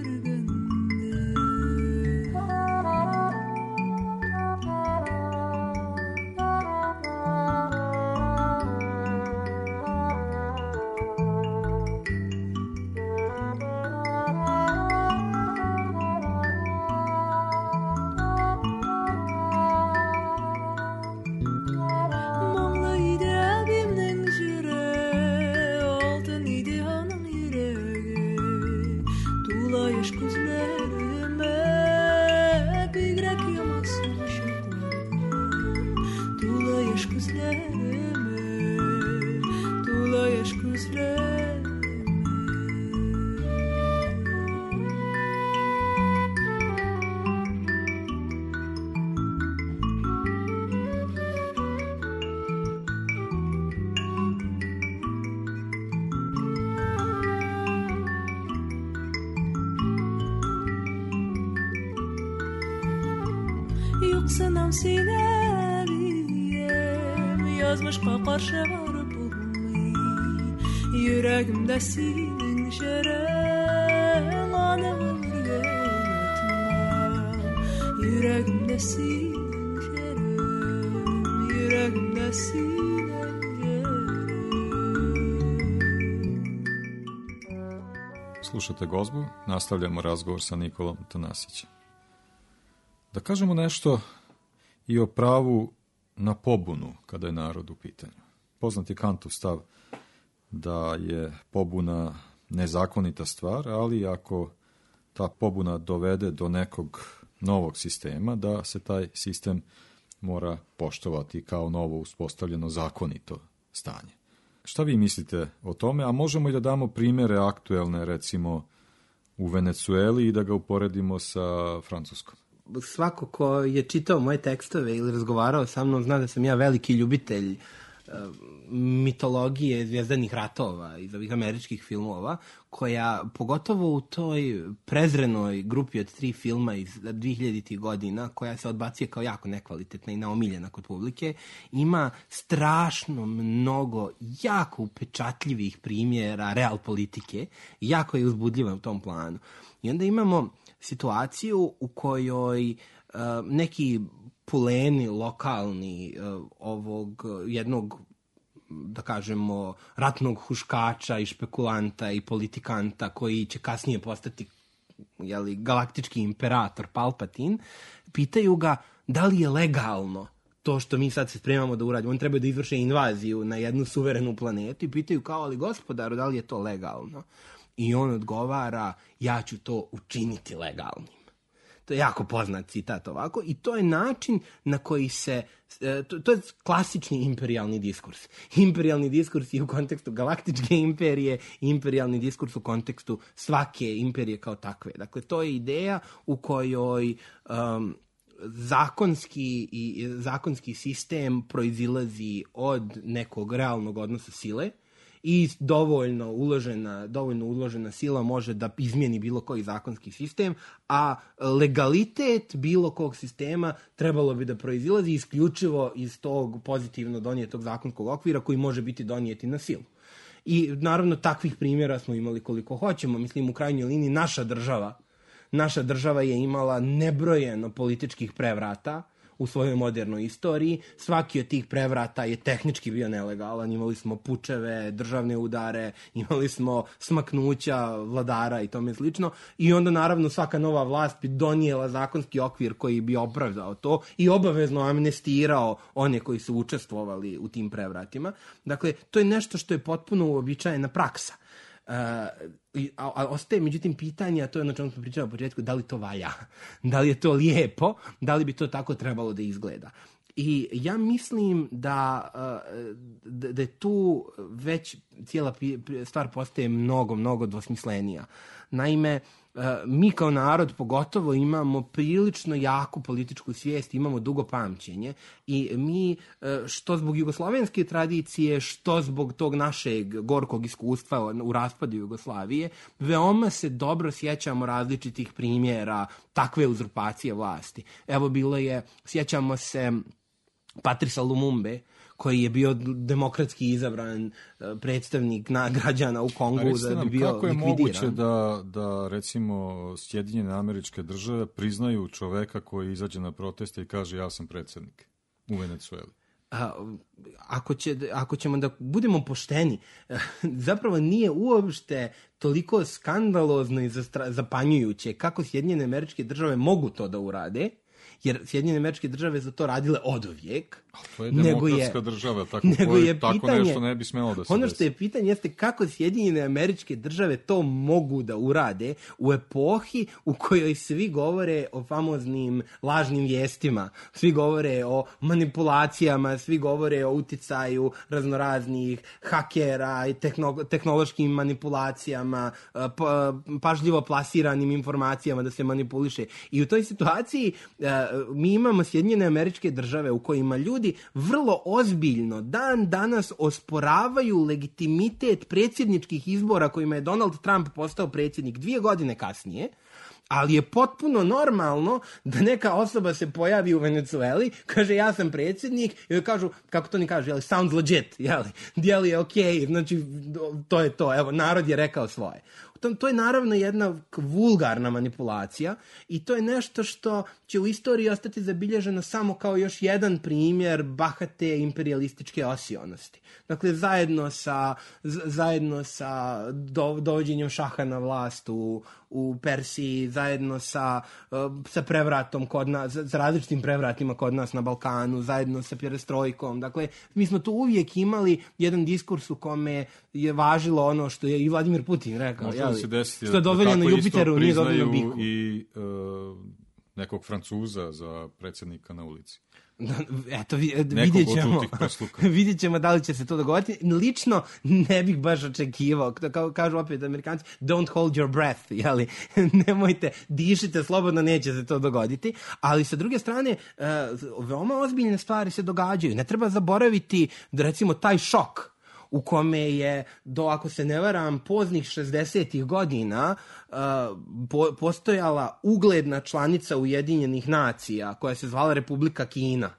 Yoksanam sinebiyem Yazmışqa qarşı varıp bulmayı Yüreğimde senin şeren Anamı yönetmem Yüreğimde senin şeren Yüreğimde senin şeren Slušate Gozbu, nastavljamo razgovor sa Nikolom Tanasićem. Da kažemo nešto i o pravu na pobunu kada je narod u pitanju. Poznat je Kantov stav da je pobuna nezakonita stvar, ali ako ta pobuna dovede do nekog novog sistema, da se taj sistem mora poštovati kao novo uspostavljeno zakonito stanje. Šta vi mislite o tome? A možemo i da damo primjere aktuelne, recimo u Venecueli i da ga uporedimo sa Francuskom. Svako ko je čitao moje tekstove ili razgovarao sa mnom zna da sam ja veliki ljubitelj uh, mitologije zvijezdanih ratova iz ovih američkih filmova, koja pogotovo u toj prezrenoj grupi od tri filma iz dvehiljaditih godina, koja se odbacuje kao jako nekvalitetna i neomiljena kod publike, ima strašno mnogo jako upečatljivih primjera real politike i jako je uzbudljiva u tom planu. I onda imamo situaciju u kojoj uh, neki puleni lokalni uh, ovog jednog da kažemo, ratnog huškača i špekulanta i politikanta koji će kasnije postati jeli, galaktički imperator Palpatine, pitaju ga da li je legalno to što mi sad se spremamo da uradimo. On treba da izvrše invaziju na jednu suverenu planetu i pitaju kao, ali gospodaru, da li je to legalno? I on odgovara, ja ću to učiniti legalnim. To je jako poznat citat ovako i to je način na koji se, to, to je klasični imperijalni diskurs. Imperijalni diskurs i u kontekstu galaktičke imperije, imperijalni diskurs u kontekstu svake imperije kao takve. Dakle, to je ideja u kojoj um, zakonski, i, zakonski sistem proizilazi od nekog realnog odnosa sile i dovoljno uložena, dovoljno uložena sila može da izmijeni bilo koji zakonski sistem, a legalitet bilo kog sistema trebalo bi da proizilazi isključivo iz tog pozitivno donijetog zakonskog okvira koji može biti donijeti na silu. I naravno takvih primjera smo imali koliko hoćemo. Mislim, u krajnjoj liniji naša država, naša država je imala nebrojeno političkih prevrata u svojoj modernoj istoriji. Svaki od tih prevrata je tehnički bio nelegalan. Imali smo pučeve, državne udare, imali smo smaknuća vladara i tome slično. I onda naravno svaka nova vlast bi donijela zakonski okvir koji bi opravdao to i obavezno amnestirao one koji su učestvovali u tim prevratima. Dakle, to je nešto što je potpuno uobičajena praksa. Uh, a, a ostaje međutim pitanje, a to je ono čemu smo pričali u početku, da li to valja, da li je to lijepo, da li bi to tako trebalo da izgleda. I ja mislim da, uh, da, da je tu već cijela stvar postaje mnogo, mnogo dvosmislenija. Naime, uh, mi kao narod pogotovo imamo prilično jaku političku svijest, imamo dugo pamćenje i mi uh, što zbog jugoslovenske tradicije, što zbog tog našeg gorkog iskustva u raspadu Jugoslavije, veoma se dobro sjećamo različitih primjera takve uzurpacije vlasti. Evo bilo je, sjećamo se Patrisa Lumumbe, koji je bio demokratski izabran predstavnik na građana u Kongu da bi bio likvidiran. Kako je moguće da, da recimo Sjedinjene Američke Države priznaju čoveka koji izađe na proteste i kaže ja sam predsjednik u Venecueli? A, ako, će, ako ćemo da budemo pošteni, zapravo nije uopšte toliko skandalozno i zapanjujuće kako Sjedinjene Američke Države mogu to da urade, jer Sjedinjene Američke Države za to radile oduvijek. To je demokratska država, tako, nego je tako pitanje, nešto ne bi smelo da se ono desi. Što je pitanje jeste kako Sjedinjene Američke Države to mogu da urade u epohi u kojoj svi govore o famoznim lažnim vijestima, svi govore o manipulacijama, svi govore o uticaju raznoraznih hakera i tehno, tehnološkim manipulacijama, pa, pažljivo plasiranim informacijama da se manipuliše. I u toj situaciji mi imamo Sjedinjene Američke Države u kojima ljudi vrlo ozbiljno dan danas osporavaju legitimitet predsjedničkih izbora kojima je Donald Trump postao predsjednik dvije godine kasnije, ali je potpuno normalno da neka osoba se pojavi u Venecueli, kaže ja sam predsjednik, i joj kažu, kako to ni kaže, jeli, sounds legit, jeli, dijeli je okej, okay, znači to je to, evo, narod je rekao svoje. To, to je naravno jedna vulgarna manipulacija i to je nešto što će u istoriji ostati zabilježeno samo kao još jedan primjer bahate imperialističke osionosti. Dakle, zajedno sa, zajedno sa do, dovođenjem šaha na vlast u, u Persiji, zajedno sa, sa prevratom kod nas, sa različitim prevratima kod nas na Balkanu, zajedno sa perestrojkom. Dakle, mi smo tu uvijek imali jedan diskurs u kome je važilo ono što je i Vladimir Putin rekao. Može li se desiti što je dozvoljeno Jupiteru, nije dozvoljeno Biku. I uh, nekog Francuza za predsjednika na ulici. Eto, vidjet ćemo, vidjet ćemo da li će se to dogoditi. Lično ne bih baš očekivao, kao kažu opet Amerikanci, don't hold your breath, jeli? Nemojte, dišite slobodno, neće se to dogoditi. Ali sa druge strane, veoma ozbiljne stvari se događaju. Ne treba zaboraviti, da recimo, taj šok u kome je, do, ako se ne varam, poznih šezdesetih godina uh, po, postojala ugledna članica Ujedinjenih nacija koja se zvala Republika Kina,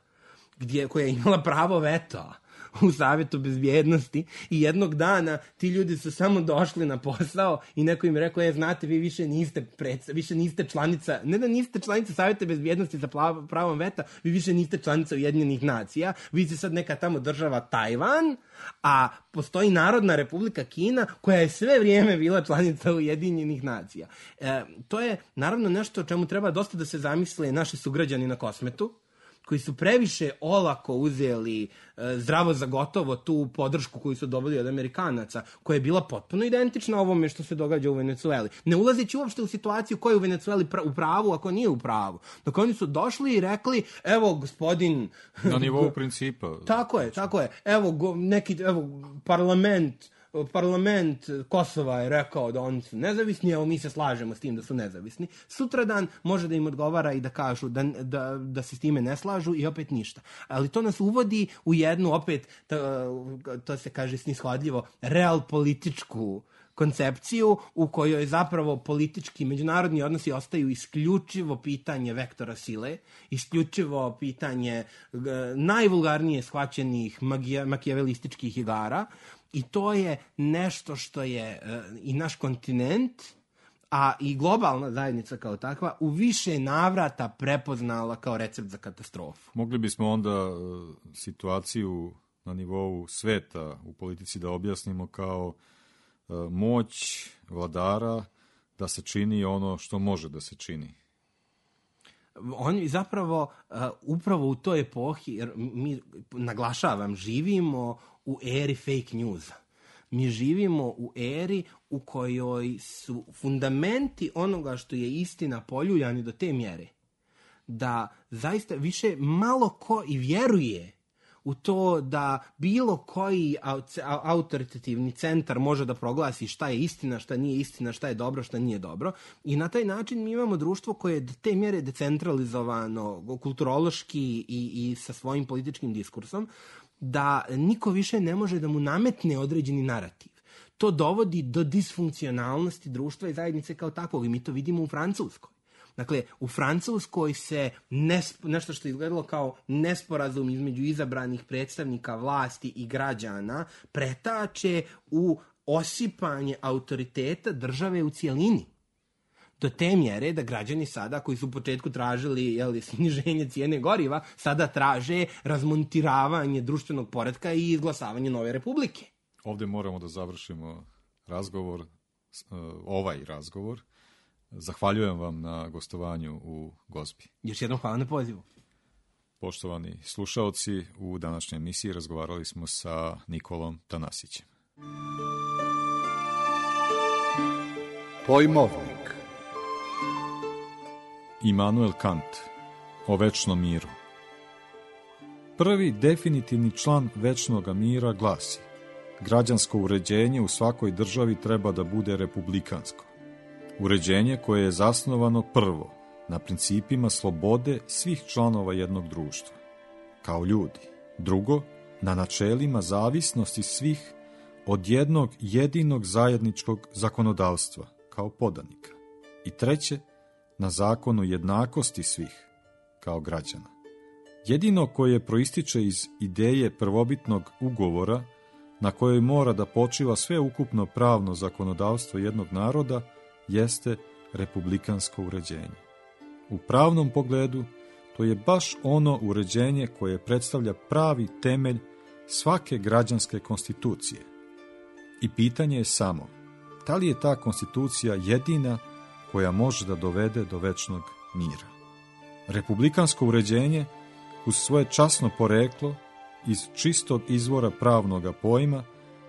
gdje, koja je imala pravo veta u Savjetu bezbjednosti i jednog dana ti ljudi su samo došli na posao i neko im rekao, je, znate, vi više niste, predsa, više niste članica, ne da niste članica Savjeta bezbjednosti za pravom veta, vi više niste članica Ujedinjenih nacija, vi ste sad neka tamo država Tajvan, a postoji Narodna Republika Kina koja je sve vrijeme bila članica Ujedinjenih nacija. E, to je naravno nešto o čemu treba dosta da se zamisle naši sugrađani na Kosmetu, koji su previše olako uzeli e, zdravo za gotovo tu podršku koju su dobili od Amerikanaca, koja je bila potpuno identična ovome što se događa u Venecueli. Ne ulazeći uopšte u situaciju ko je u Venecueli pra- u pravu, ako nije u pravu. Dok oni su došli i rekli, evo gospodin... Na nivou principa. Tako je, tako je. Evo, go, neki, evo parlament... parlament Kosova je rekao da oni su nezavisni, evo mi se slažemo s tim da su nezavisni. Sutradan može da im odgovara i da kažu da, da, da se s time ne slažu i opet ništa. Ali to nas uvodi u jednu, opet, to, to se kaže snishodljivo, real političku koncepciju u kojoj zapravo politički međunarodni odnosi ostaju isključivo pitanje vektora sile, isključivo pitanje uh, najvulgarnije shvaćenih magija, makijavelističkih igara. I to je nešto što je uh, i naš kontinent, a i globalna zajednica kao takva, u više navrata prepoznala kao recept za katastrofu. Mogli bismo onda uh, situaciju na nivou sveta u politici da objasnimo kao uh, moć vladara da se čini ono što može da se čini. Oni zapravo, uh, upravo u toj epohi, jer mi, naglašavam, živimo u eri fake newsa. Mi živimo u eri u kojoj su fundamenti onoga što je istina poljuljani do te mjere da zaista više malo ko i vjeruje u to da bilo koji autoritativni centar može da proglasi šta je istina, šta nije istina, šta je dobro, šta nije dobro. I na taj način mi imamo društvo koje je do te mjere decentralizovano, kulturološki i, i sa svojim političkim diskursom, da niko više ne može da mu nametne određeni narativ. To dovodi do disfunkcionalnosti društva i zajednice kao takvog i mi to vidimo u Francuskoj. Dakle, u Francuskoj se nesp, nešto što je izgledalo kao nesporazum između izabranih predstavnika vlasti i građana pretače u osipanje autoriteta države u cijelini. Do te mjere da građani sada, koji su u početku tražili jeli, sniženje cijene goriva, sada traže razmontiravanje društvenog poretka i izglasavanje nove republike. Ovdje moramo da završimo razgovor, ovaj razgovor. Zahvaljujem vam na gostovanju u Gozbi. Još jednom hvala na pozivu. Poštovani slušaoci, u današnjoj emisiji razgovarali smo sa Nikolom Tanasićem. Pojmovnik. Immanuel Kant o večnom miru. Prvi definitivni član večnog mira glasi: građansko uređenje u svakoj državi treba da bude republikansko. Uređenje koje je zasnovano prvo na principima slobode svih članova jednog društva, kao ljudi. Drugo, na načelima zavisnosti svih od jednog jedinog zajedničkog zakonodavstva, kao podanika. I treće, na zakonu jednakosti svih, kao građana. Jedino koje proističe iz ideje prvobitnog ugovora, na kojoj mora da počiva sveukupno pravno zakonodavstvo jednog naroda, jeste republikansko uređenje. U pravnom pogledu, to je baš ono uređenje koje predstavlja pravi temelj svake građanske konstitucije. I pitanje je samo, da li je ta konstitucija jedina koja može da dovede do večnog mira? Republikansko uređenje, uz svoje časno poreklo, iz čistog izvora pravnoga pojma,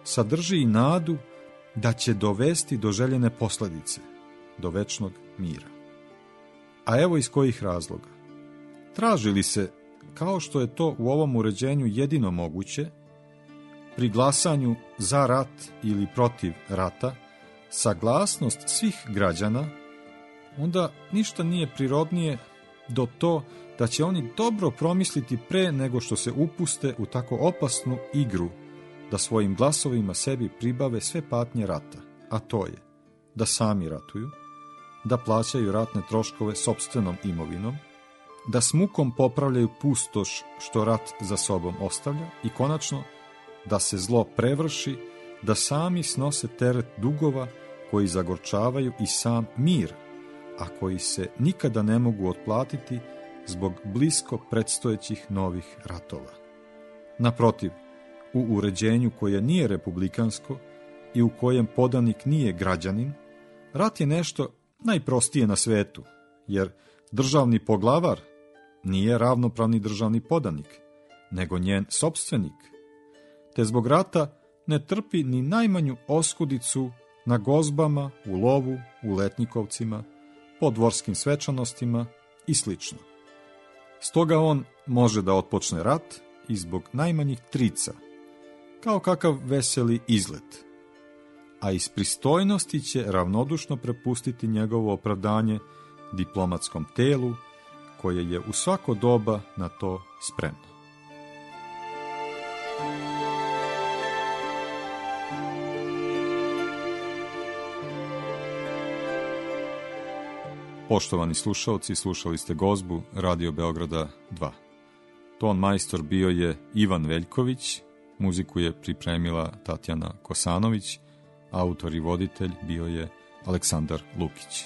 sadrži i nadu da će dovesti do željene posljedice, do večnog mira. A evo iz kojih razloga. Traži li se, kao što je to u ovom uređenju jedino moguće, pri glasanju za rat ili protiv rata, saglasnost svih građana, onda ništa nije prirodnije do to da će oni dobro promisliti pre nego što se upuste u tako opasnu igru, da svojim glasovima sebi pribave sve patnje rata, a to je da sami ratuju, da plaćaju ratne troškove sopstvenom imovinom, da s mukom popravljaju pustoš što rat za sobom ostavlja i konačno da se zlo prevrši, da sami snose teret dugova koji zagorčavaju i sam mir, a koji se nikada ne mogu otplatiti zbog blisko predstojećih novih ratova. Naprotiv, u uređenju koje nije republikansko i u kojem podanik nije građanin, rat je nešto najprostije na svetu, jer državni poglavar nije ravnopravni državni podanik, nego njen sopstvenik, te zbog rata ne trpi ni najmanju oskudicu na gozbama, u lovu, u letnjikovcima, po dvorskim svečanostima i slično. Stoga on može da otpočne rat i zbog najmanjih trica, kao kakav veseli izlet, a iz pristojnosti će ravnodušno prepustiti njegovo opravdanje diplomatskom telu, koje je u svako doba na to spremno. Poštovani slušalci, slušali ste gozbu Radio Beograda dva. Ton majstor bio je Ivan Veljković, muziku je pripremila Tatjana Kosanović, autor i voditelj bio je Aleksandar Lukić.